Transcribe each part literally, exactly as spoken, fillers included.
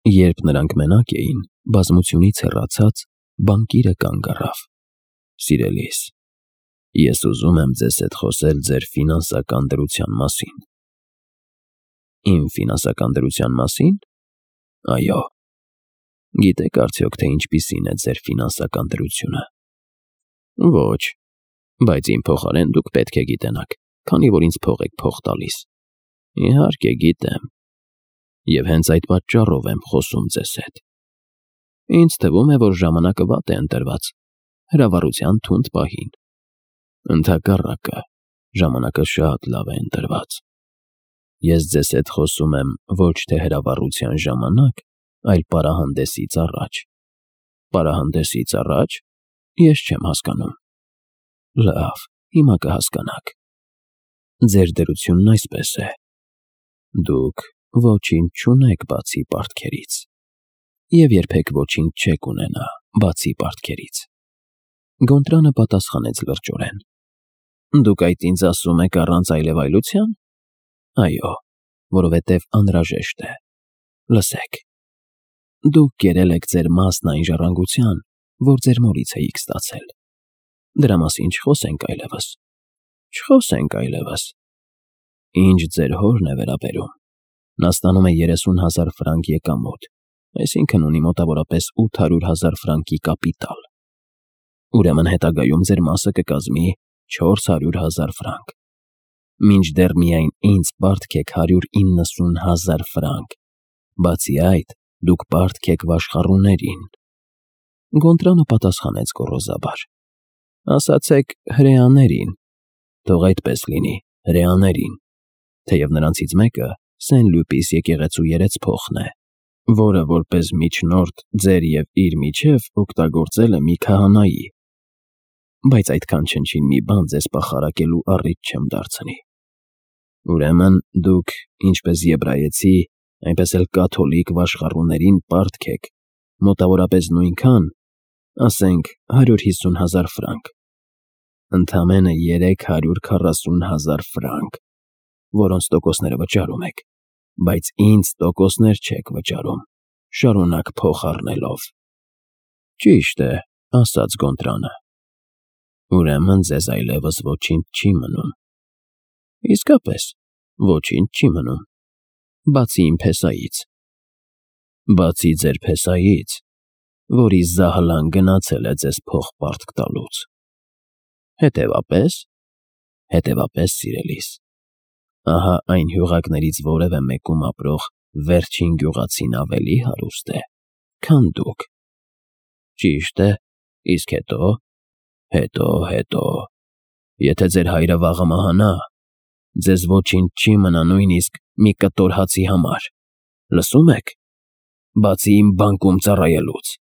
Երբ նրանք մենակ էին, բազմությունից հեռացած, բանկիրը կանգ առավ։ Սիրելիս, ես ուզում եմ ձեզ հետ խոսել ձեր ֆինանսական դրության մասին։ Իմ ֆինանսական դրության մասին։ Այո։ Գիտեք արդյոք, թե ինչպիսին է ձեր ֆինանսական դրությունը։ Ոչ, բայց իմ փոխարեն դուք պետք է գիտենաք, քանի որ ինձ փող եք փող տալիս։ Իհարկե գիտեմ։ Եվ հենց այդ պատճառով եմ խոսում ձեզ հետ։ Ինձ թվում է, որ ժամանակը վատ է ընտրված, հրավառության թունդ պահին։ Ընդհակառակը, ժամանակը շատ լավ է ընտրված։ Ես ձեզ հետ խոսում եմ ոչ թե հրավառության ժամանակ, այլ պարահանդեսից առաջ։ Պարահանդեսից առաջ։ Ես չեմ հասկանում։ Լավ, հիմա կհասկանաք։ Ձեր դրությունն այսպես է. դուք ոչինչ չունեք բացի պարտքերից, և երբեք ոչինչ չեք ունենա բացի պարտքերից։ Գոնտրանը պատասխանեց լրջորեն. Դուք այդ ինձ ասում եք առանց այլևայլության։ Այո, որովհետև անհրաժեշտ է։ Լսեք, դուք կերել եք ձեր մասն այն ժառանգության, որ ձեր մորից էիք ստացել։ Դրա մասին չխոսենք այլևս։ Չխոսենք այլևս։ Ինչ ձեր հորն է վերաբերում, նա ստանում է երեսուն հազար ֆրանկ եկամուտ, այսինքն ունի մոտավորապես ութ հարյուր հազար ֆրանկի կապիտալ։ Ուրեմն հետագայում ձեր մասը կկազմի չորս հարյուր հազար ֆրանկ։ Մինչդեռ միայն ինձ պարտք եք հարյուր իննսուն հազար ֆրանկ, բացի այդ, դուք պարտք եք վաշխառուներին։ Գոնտրանը պատասխանեց գոռոզաբար. Ասացեք հրեաներին, թող այդպես լինի, հրեաներին, թեև նրանցից մեկը Սեն-Լյուպիս եկեղեցու երեցփոխն է, որը որպես միջնորդ ձեր և իր միջև օգտագործել է մի քահանայի, բայց այդքան չնչին մի բան ձեզ պախարակելու առիթ չեմ դարձնի։ Ուրեմն դուք, ինչպես եբրայեցի, այնպես էլ կաթոլիկ վաշխառուներին պարտք եք, մոտավորապես նույնքան, ասենք հարյուր հիսուն հազար ֆրանկ, ընդամենը երեք հարյուր քառասուն հազար ֆրանկ, որոնց տոկոսները վճարում եք, բայց ինձ տոկոսներ չեք վճարում, շարունակ փող առնելով։ Ճիշտ է, ասաց Գոնտրանը։ Ուրեմն ձեզ այլևս ոչինչ չի մնում։ Իսկապես, ոչինչ չի մնում, բացի իմ փեսայից։ Բացի ձեր փեսայից, որի զահլան գնացել է ձեզ փող պարտք տալուց։ Հետևապես, հետևապես, սիրելիս, ահա այն հյուղակներից որևէ մեկում ապրող վերջին գյուղացին ավելի հարուստ է, քան դուք։ Ճիշտ է, իսկ հետո, հետո, հետո, եթե ձեր հայրը վաղը մահանա, ձեզ ոչինչ չի մնա նույնիսկ մի կտոր հացի համար, լսում եք, բացի իմ բանկում ծառայելուց,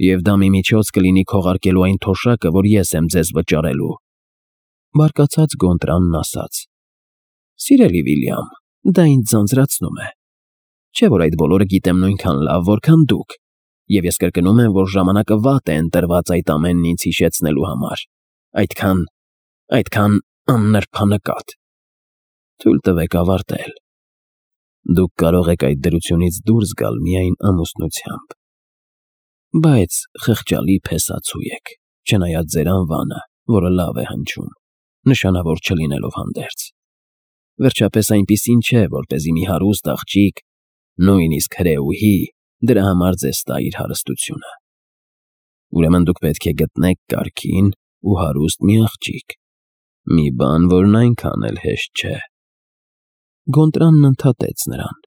և դա մի միջոց կլինի քողարկելու այն թոշակը, որ ես եմ ձեզ վճարելու։ Բարկացած Գոնտրանն ասաց. Սիրելի Վիլյամ, դա ինձ ձանձրացնում է, չէ՞ որ այդ բոլորը գիտեմ նույնքան լավ, որքան դուք, և ես կրկնում եմ, որ ժամանակը վատ է ընտրված այդ ամենն ինձ հիշեցնելու համար, այդքան, այդքան աննրբանկատ։ Թույլ տվեք ավարտել։ Դուք կարող եք այդ դրությունից դուրս գալ միայն ամուսնությամբ, բայց խղճալի փեսացու եք, չնայած ձեր անվանը, որը լավ է հնչում, նշանավոր չլինելով հանդերձ։ Վերջապես այնպիսին չէ, որպեսզի մի հարուստ աղջիկ, նույնիսկ հրեուհի, դրա համար ձեզ տա իր հարստությունը։ Ուրեմն դուք պետք է գտնեք կարգին ու հարուստ մի աղջիկ, մի բան, որն այնքան էլ հեշտ չէ։ Գոնտրանն ընդհատեց նրան.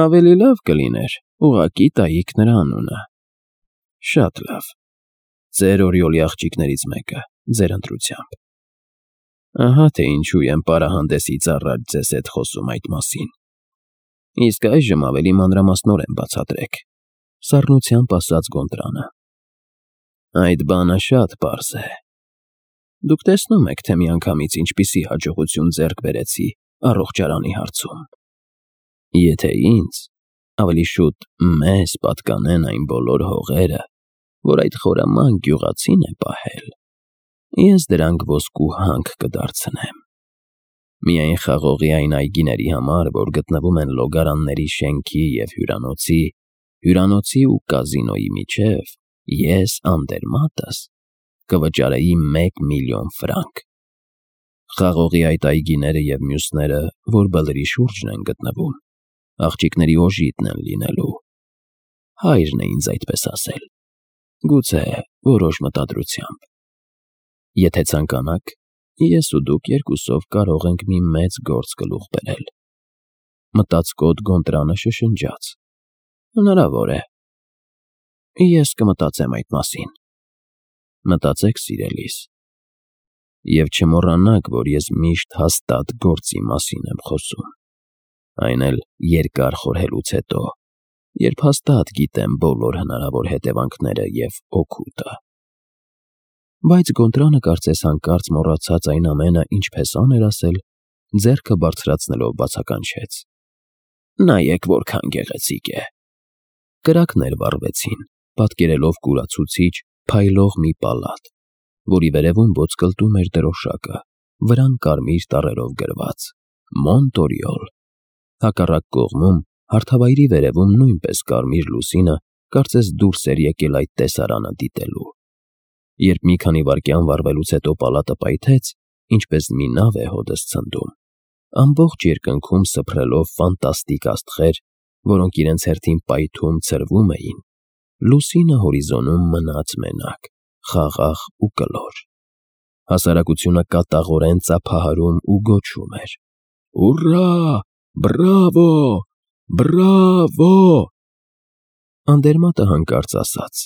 Ավելի լավ կլիներ, ուղղակի տայիք նրա անունը։ Շատ լավ, ձեր օրիորդի աղջիկներից մեկը, ձեր ընտրությամբ։ Ահա թե ինչու եմ պարահանդեսից առաջ ձեզ հետ խոսում այդ մասին։ Իսկ այժմ ավելի մանրամասնորեն բացատրեք, սառնությամբ ասաց Գոնտրանը։ Այդ բանը շատ պարզ է։ Դուք տեսնում եք, թե միանգամից ինչպիսի հաջողություն ձեռք բերեցի առողջարանի հարցում։ Եթե ինձ, ավելի շուտ մեզ պատկանեն այն բոլոր հողերը, որ այդ խորամանկ գյուղացին է պահել, ես դրանք ոսկու հանք կդարձնեմ։ Միայն խաղողի այն այգիների համար, որ գտնվում են Լոգարանների շենքի և հյուրանոցի հյուրանոցի ու կազինոյի միջև ես Անդերմատս կվճարեի մեկ միլիոն ֆրանկ։ Խաղողի այդ այգիները և մյուսները, որ բլրի շուրջն են գտնվում, աղջիկների օժիտն են լինելու։ Հայրն է ինձ այդպես ասել, գուցե որոշ մտադրությամբ։ Եթե ցանկանաք, ես ու դուք երկուսով կարող ենք մի մեծ գործ գլուխ բերել։ Մտածկոտ Գոնտրանը շշնջաց. Հնարավոր է։ Ես կմտածեմ այդ մասին։ Մտածեք, սիրելիս, և չմոռանաք, որ ես միշտ հաստատ գործի մասին եմ խոսում, այն էլ երկար խորհելուց հետո, երբ հաստատ գիտեմ բոլոր հնարավոր հետևանքները և օգուտը։ Բայց Գոնտրանը կարծես հանկարծ մոռացած այն ամենը, ինչ Փեսան էր ասել, ձեռքը բարձրացնելով բացականչեց. Նայեք, որքան գեղեցիկ է։ Կրակներ վառվեցին, պատկերելով կուրացուցիչ, փայլող մի պալատ, որի վերևում ոսկլտում էր դրոշակը, վրան կարմիր տառերով գրված Մոնտորիոլ։ Հակառակ կողմում, հարթավայրի վերևում նույնպես կարմիր լուսինը կարծես դուրս էր եկել այդ տեսարանը դիտելու։ Երբ մի քանի վայրկյան վառվելուց հետո պալատը պայթեց, ինչպես մի նավ է հոդս ցնդում, ամբողջ երկնքում սփռելով ֆանտաստիկ աստղեր, որոնք իրենց հերթին պայթում ցրվում էին, լուսինը հորիզոնում մնաց մենակ, խաղաղ ու կլոր։ Հասարակությունը կատաղորեն ծափահարում ու գոչում էր. Ուռա, բրավո, բրավո։ Անդերմատը հանկարծ ասաց.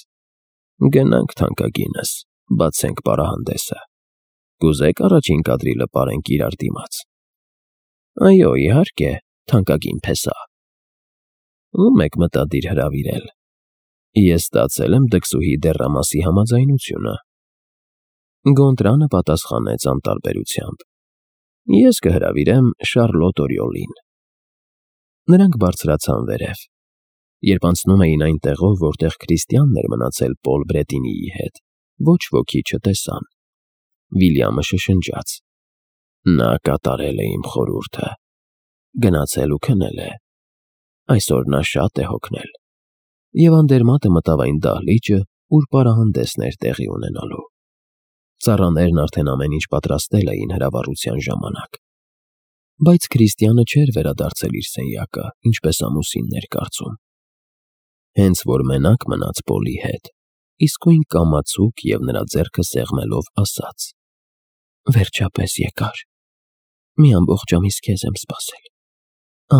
Գնանք, թանկագինս, բացենք պարահանդեսը։ Կուզե՞ք առաջին կադրի լպարենք իրար դիմաց։ Այո, իհարկե, թանկագին Փեսա։ Ո՞ւմ եք մտադիր հրավիրել։ Ես ստացել եմ դքսուհի դեռամասի համաձայնությունը։ Գոնտրանը պատասխանեց անտարբերությամբ. Ես կհրավիրեմ Շարլոտ Օրիոլին։ Նրանք բարձրացան վերև։ Երբ անցնում էին այն տեղով, որտեղ Քրիստիանն էր մնացել Պոլ Բրետինիի հետ, ոչ ոքի չտեսան։ Վիլյամը շշնջաց. Նա կատարել է իմ խորհուրդը, գնացել ու քնել է։ Այսօր նա շատ է հոգնել։ Եվ Անդերմատը մտավ այն դահլիճը, ուր պարահանդեսն էր տեղի ունենալու։ Ծառաներն արդեն ամեն ինչ պատրաստել էին հրավառության ժամանակ։ Բայց Քրիստիանը չէր վերադարձել իր սենյակը, ինչպես ամուսինն էր կարծում։ Հենց որ մենակ մնաց Պոլի հետ, իսկույն կամացուկ և նրա ձեռքը սեղմելով ասաց. Վերջապես եկար։ Մի ամբողջ ամիս քեզ եմ սպասել։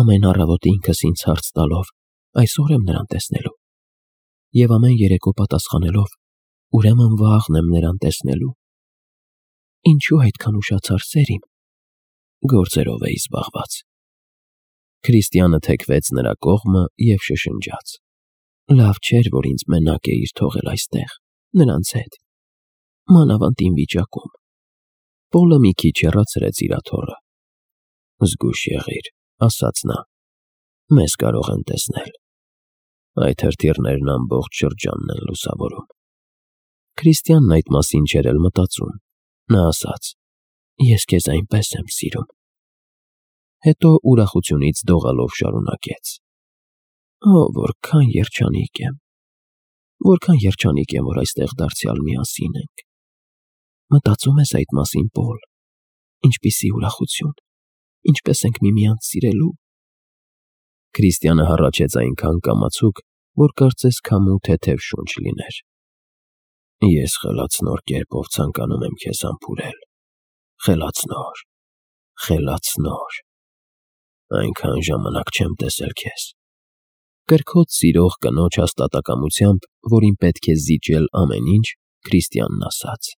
Ամեն առավոտ ինքս ինձ հարց տալով, այսօր եմ նրան տեսնելու։ Եվ ամեն երեկո պատասխանելով, ուրեմն վաղն եմ նրան տեսնելու։ Ինչու այդքան ուշացար, սերիմ։ Գործերով էի զբաղված։ Քրիստիանը թեքվեց նրա կողմը և շշնջաց. Լավ չէր, որ ինձ մենակ էիր թողել այստեղ, նրանց հետ, մանավանդ իմ վիճակում։ Պոլը մի քիչ հեռացրեց իր աթոռը։ Զգույշ եղիր, ասաց նա։ Մեզ կարող են տեսնել։ Այդ հրթիռներն ամբողջ շրջանն են լուսավորում։ Քրիստիանն այդ մասին չէր էլ մտածում։ Նա ասաց. Ես քեզ այնպես եմ սիրում։ Հետո ուրախությունից դողալով շարունակեց. Օ, որքան երջանիկ եմ։ Որքան երջանիկ եմ, որ այստեղ դարձյալ միասին ենք։ Մտածում ես այդ մասին, Պոլ։ Ինչպիսի ուրախություն։ Ինչպես ենք միմյանց սիրելու։ Քրիստիանը հառաչեց այնքան կամացուկ, որ կարծես քամու թեթև շունչ լիներ։ Ես խելացնոր կերպով ցանկանում եմ քեզ համբուրել։ Խելացնոր, խելացնոր։ Այնքան ժամանակ չեմ տեսել քեզ։ Կրքոտ սիրող կնոջ հաստատակամությամբ, որին պետք է զիջել ամեն ինչ, Քրիստիանն ասաց.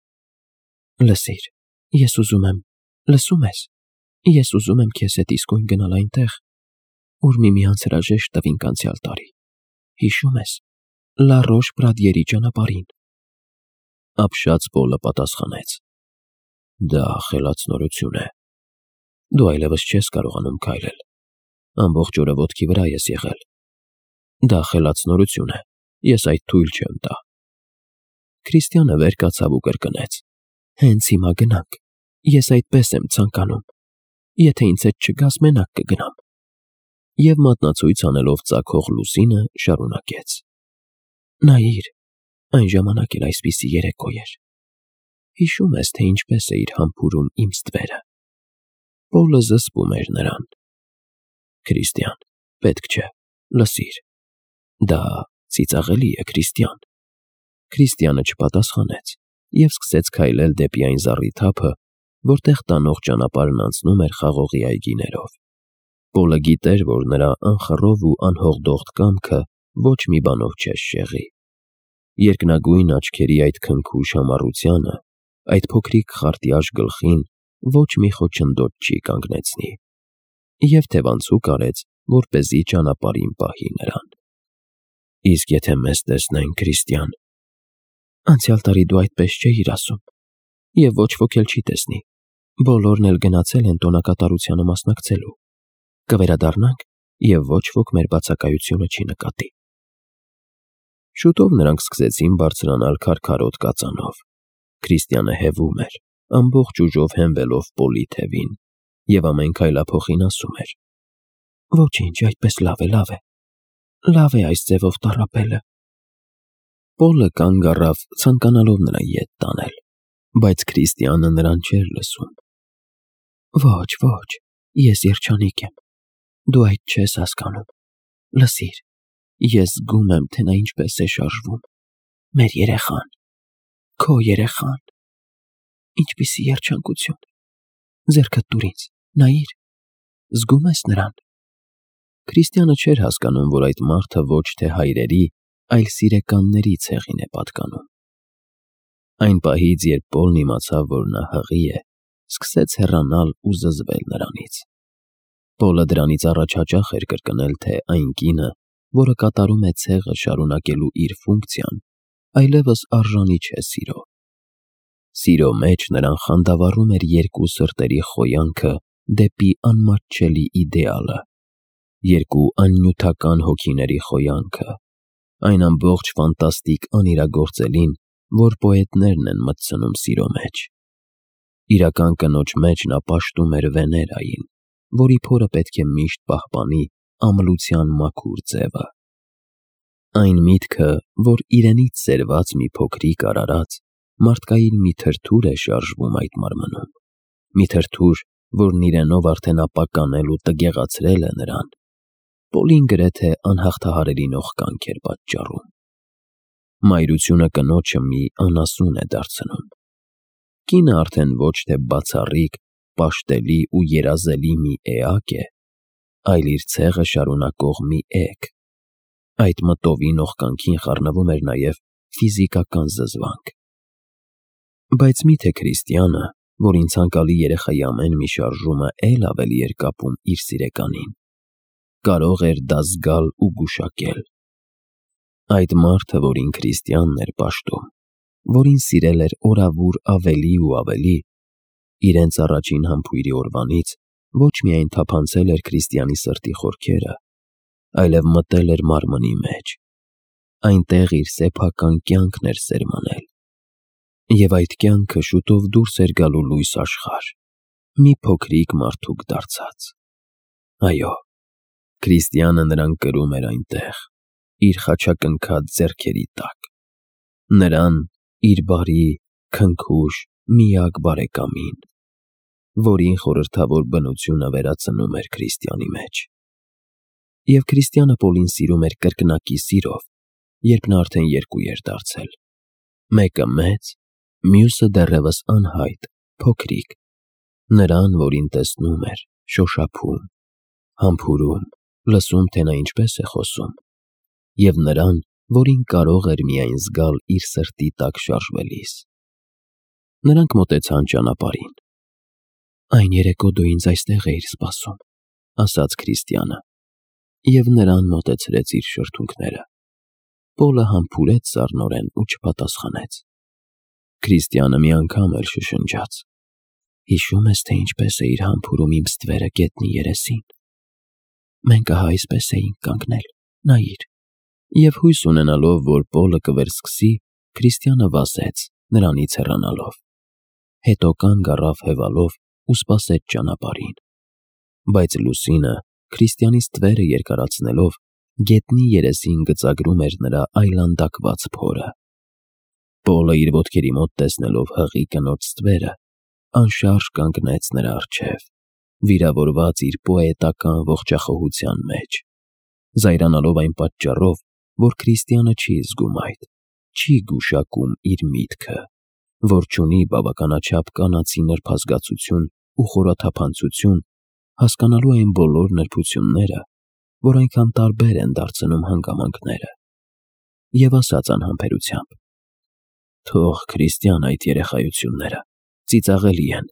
Լսիր, ես ուզում եմ, լսում ես, ես ուզում եմ քեզ հետ իսկույն գնալ այնտեղ, ուր միմյանց հրաժեշտ տվինք անցյալ տարի։ Հիշում ես, Լա Ռոշ Պրադիերի ճանապարհին։ Ապշած Պոլը պատասխանեց. Դա խելացնորություն է։ Դու այլևս չես կարողանում քայլել։ Ամբողջ օրը ոտքի վրա ես եղել։ Դա խելացնորություն է, ես այդ թույլ չեմ տա։ Քրիստիանը վեր կացավ ու կրկնեց. Հենց հիմա գնանք, ես այդպես եմ ցանկանում։ Եթե ինձ հետ չգաս, մենակ կգնամ։ Եվ մատնացույց անելով ծագող լուսինը շարունակեց. Նայիր, այն ժամանակ էլ այսպիսի երեկո էր։ Հիշում ես, թե ինչպես էիր համբուրում իմ ստվերը։ Պոլը զսպում էր նրան։ Քրիստիան, պետք չէ, լսիր։ Դա ծիծաղելի է, Քրիստիան։ Քրիստիանը չպատասխանեց և սկսեց քայլել դեպի այն զառիթափը, որտեղ տանող ճանապարհն անցնում էր խաղողի այգիներով։ Պոլը գիտեր, որ նրա անխռով ու անհողդողդ կամքը ոչ մի բանով չէր շեղի։ Երկնագույն աչքերի այդ քնքուշ համառությանը, այդ փոքրիկ խարտյաշ գլխին ոչ մի խոչընդոտ չի կանգնեցնի։ Եվ թևանցուկ արեց, որպեսզի ճանապարհին պահի նրան։ Իսկ եթե մեզ տեսնեն, Քրիստիան։ Անցյալ տարի դու այդպես չէիր ասում, և ոչ ոք էլ չի տեսնի։ Բոլորն էլ գնացել են տոնակատարությանը մասնակցելու։ Կվերադառնանք, և ոչ ոք մեր բացակայությունը չի նկատի։ Շուտով նրանք սկսեցին բարձրանալ քարքարոտ կածանով։ Քրիստիանը հևում էր, ամբողջ ուժով հենվելով Պոլի թևին, և ամեն քայլափոխին ասում էր. Ոչինչ, այդպես լավ է, լավ է։ Լավ է այս ձևով տառապելը։ Պոլը կանգ առավ, ցանկանալով նրան ետ տանել, բայց Քրիստիանը նրան չէր լսում։ Ոչ, ոչ, ես երջանիկ եմ։ Դու այդ չես հասկանում։ Լսիր, ես զգում եմ, թե նա ինչպես է շարժվում։ Մեր երեխան, քո երեխան։ Ինչպիսի երջանկություն։ Ձեռքդ տուր ինձ, նայիր, զգում ես նրան։ Քրիստիանը չէր հասկանում, որ այդ մարդը ոչ թե հայրերի, այլ սիրեկանների ցեղին է պատկանում։ Այն պահից, երբ Պոլն իմացավ, որ նա հղի է, սկսեց հեռանալ ու զզվել նրանից։ Պոլը դրանից առաջ հաճախ էր կրկնել, թե այն կինը, որը կատարում է ցեղը շարունակելու իր ֆունկցիան, այլևս արժանի չէ սիրո։ Սիրո մեջ նրան խանդավառում էր երկու սրտերի խոյանքը դեպի անմատչելի իդեալը, երկու աննյութական հոգիների խոյանքը, այն ամբողջ ֆանտաստիկ անիրագործելին, որ պոետներն են մտցնում սիրո մեջ։ Իրական կնոջ մեջ նա պաշտում էր Վեներային, որի փորը պետք է միշտ պահպանի ամլության մաքուր ձևը։ Այն միտքը, որ իրենից սերված մի փոքրիկ արարած, մարդկային մի թրթուր է շարժվում այդ մարմնում, մի թրթուր, որն իրենով արդեն ապականել ու տգեղացրել է նրան, Պոլին գրեթե անհաղթահարելի նողկանք էր պատճառում։ Մայրությունը կնոջը մի անասուն է դարձնում։ Կինը արդեն ոչ թե բացառիկ, պաշտելի ու երազելի մի էակ է, այլ իր ցեղը շարունակող մի էգ։ Այդ մտովի նողկանքին խառնվում էր նաև ֆիզիկական զզվանք։ Բայց միթե Քրիստիանը, որին ցանկալի երեխայի ամեն մի շարժումը էլ ավելի էր կապում իր սիրեկանին, կարող էր դա զգալ ու գուշակել։ Այդ մարդը, որին Քրիստիանն էր պաշտում, որին սիրել էր օրավուր ավելի ու ավելի, իրենց առաջին համբույրի օրվանից ոչ միայն թափանցել էր Քրիստիանի սրտի խորքերը, այլև մտել էր մարմնի մեջ, այնտեղ իր սեփական կյանքն էր սերմանել։ Եվ այդ կյանքը շուտով դուրս էր գալու լույս աշխարհ, մի փոքրիկ մարդուկ դարձած։ Այո, Քրիստիանը նրան կրում էր այնտեղ, իր խաչակնքած ձեռքերի տակ, նրան, իր բարի, քնքուշ, միակ բարեկամին, որին խորհրդավոր բնությունը վերածնում էր Քրիստիանի մեջ։ Եվ Քրիստիանը Պոլին սիրում էր կրկնակի սիրով, երբ նա արդեն երկու էր դարձել, մեկը մեծ, մյուսը դեռևս անհայտ, փոքրիկ, նրան, որին տեսնում էր, շոշափում, համբուրում, լսում, թե նա ինչպես է խոսում, և նրան, որին կարող էր միայն զգալ իր սրտի տակ շարժվելիս։ Նրանք մոտեցան ճանապարհին։ Այն երեկո դու ինձ այստեղ էիր սպասում, ասաց Քրիստիանը, և նրան մոտեցրեց իր շրթունքները։ Պոլը համբուրեց սառնորեն ու չպատասխանեց։ Քրիստիանը մի անգամ էլ շշնջաց. Հիշում ես, թե ինչպես էիր համբուրում իմ ստվերը գետնի երեսին։ Մենք ահա այսպես էինք կանգնել, նայիր։ Եվ հույս ունենալով, որ Պոլը կվերսկսի, Քրիստիանը վազեց, նրանից հեռանալով։ Հետո կանգ առավ հևալով ու սպասեց ճանապարհին։ Բայց լուսինը, Քրիստիանի ստվերը երկարացնելով, գետնի երեսին գծագրում էր նրա այլանդակված փորը։ Պոլը իր ոտքերի մոտ տեսնելով հղի կնոջ ստվերը, անշարժ կանգնեց նրա առջև, վիրավորված իր պոետական ողջախոհության մեջ, զայրանալով այն պատճառով, որ Քրիստիանը չի զգում այդ, չի գուշակում իր միտքը, որ չունի բավականաչափ կանացի նրբազգացություն ու խորաթափանցություն, հասկանալու այն բոլոր նրբությունները, որ այնքան տարբեր են դարձնում հանգամանքները, և ասաց անհամբերությամբ. «Թող Քրիստիան այդ երեխայությունները, ծիծաղելի են»։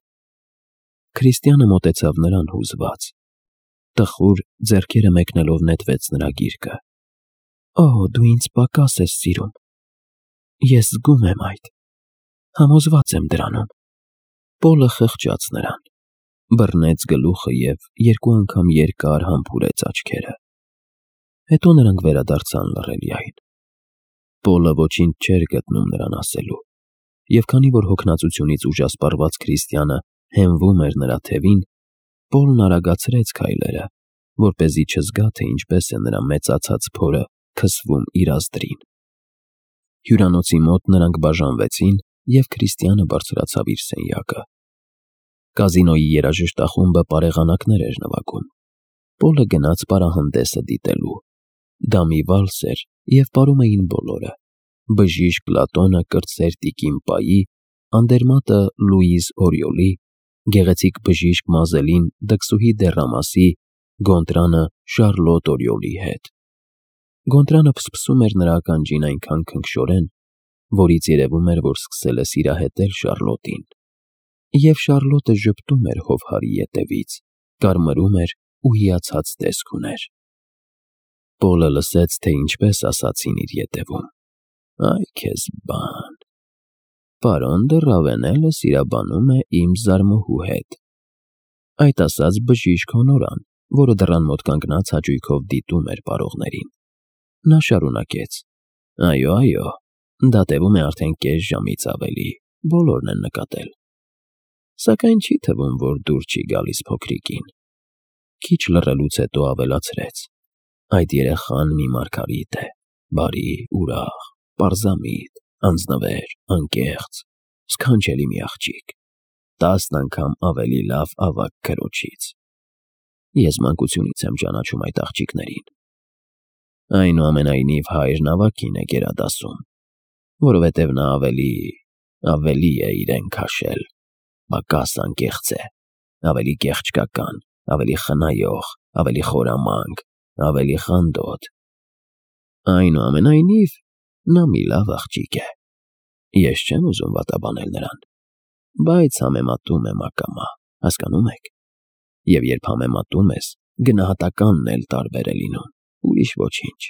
Քրիստիանը մոտեցավ նրան հուզված, տխուր ձեռքերը մեկնելով նետվեց նրա գիրկը։ «Օ, դու ինձ պակաս ես սիրում, ես զգում եմ այդ, համոզված եմ դրանում»։ Պոլը խղճաց նրան, բռնեց գլուխը և երկու անգամ երկար համբուրեց աչքերը։ Հետո նրանք վերադարձան լռելիային։ Պոլը ոչինչ չէր գտնում նրան ասելու, և քանի որ հոգնածությունից ուժասպառված Քրիստիանը հենվում էր նրա թևին, Պոլն արագացրեց քայլերը, որպեսզի չզգա, թե ինչպես է նրա մեծացած փորը քսվում իր ազդրին։ Հյուրանոցի մոտ նրանք բաժանվեցին, և Քրիստիանը բարձրացավ իր սենյակը։ Կազինոյի երաժշտախումբը պարեղանակներ էր նվագում։ Պոլը գնաց պարահանդեսը դիտելու։ Դա մի վալս էր, և պարում էին բոլորը. բժիշկ Պլատոնը կրտսեր տիկին Պայի, անդերմատը Լուիզ Օրիոլի, գեղեցիկ բժիշկ Մազելին դքսուհի Դեռամասի, Գոնտրանը Շարլոտ Օրիոլի հետ։ Գոնտրանը փսփսում էր նրա ականջին այնքան քնքշորեն, որից երևում էր, որ սկսել է սիրահետել Շարլոտին, և Շարլոտը ժպտում էր հովհարի ետևից, կարմրում էր ու հիացած տեսք ուներ։ Պոլը լսեց, թե ինչպես ասացին իր ետևում. «Այ քեզ բան, պարոն դը Ռավենելը սիրաբանում է իմ զարմոհու հետ»։ Այդ ասաց բժիշկ Հոնորան, որը դռան մոտ կանգնած հաճույքով դիտում էր պարողներին։ Նա շարունակեց. «Այո, այո, դա տևում է արդեն կես ժամից ավելի, բոլորն են նկատել։ Սակայն չի թվում, որ դուր չի գալիս փոքրիկին»։ Քիչ լռելուց հետո ավելացրեց. «Այդ երեխան մի մարգարիտ է, բարի, ուրախ, պարզամիտ, անձնվեր, անկեղծ, սքանչելի մի աղջիկ, տասն անգամ ավելի լավ ավագ քրոջից։ Ես մանկությունից եմ ճանաչում այդ աղջիկներին։ Այնուամենայնիվ հայրն ավագին է գերադասում, որովհետև նա ավելի, ավելի է իրեն քաշել, պակաս անկեղծ է, ավելի կեղճկական, ավելի խնայող, ավելի խորամանկ, ավելի խանդոտ։ Այնուամենայնիվ նա մի լավ աղջիկ է։ Ես չեմ ուզում վատաբանել նրան, բայց համեմատում եմ ակամա, հասկանո՞ւմ եք։ Եվ երբ համեմատում ես, գնահատականն էլ տարբեր է լինում, ուրիշ ոչինչ»։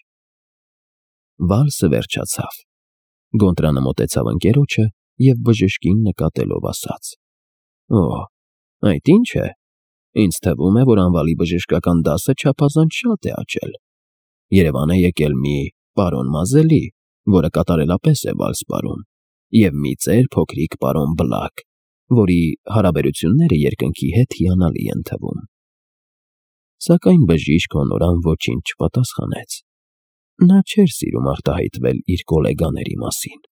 Վալսը վերջացավ։ Գոնտրանը մոտեցավ ընկերոջը և բժշկին նկատելով ասաց. «Օ, այդ ի՞նչ է։ Ինձ թվում է, որ անվալի բժշկական դասը չափազանց շատ է աճել։ Երևան է եկել մի պարոն Մազելի, որը կատարելապես է վալս պարում, և մի ծեր փոքրիկ պարոն Բլակ, որի հարաբերությունները երկնքի հետ հիանալի են թվում»։ Սակայն բժիշկ Հոնորան ոչինչ չպատասխանեց։ Նա չէր սիրում արտահայտվել իր գոլեգաների մասին։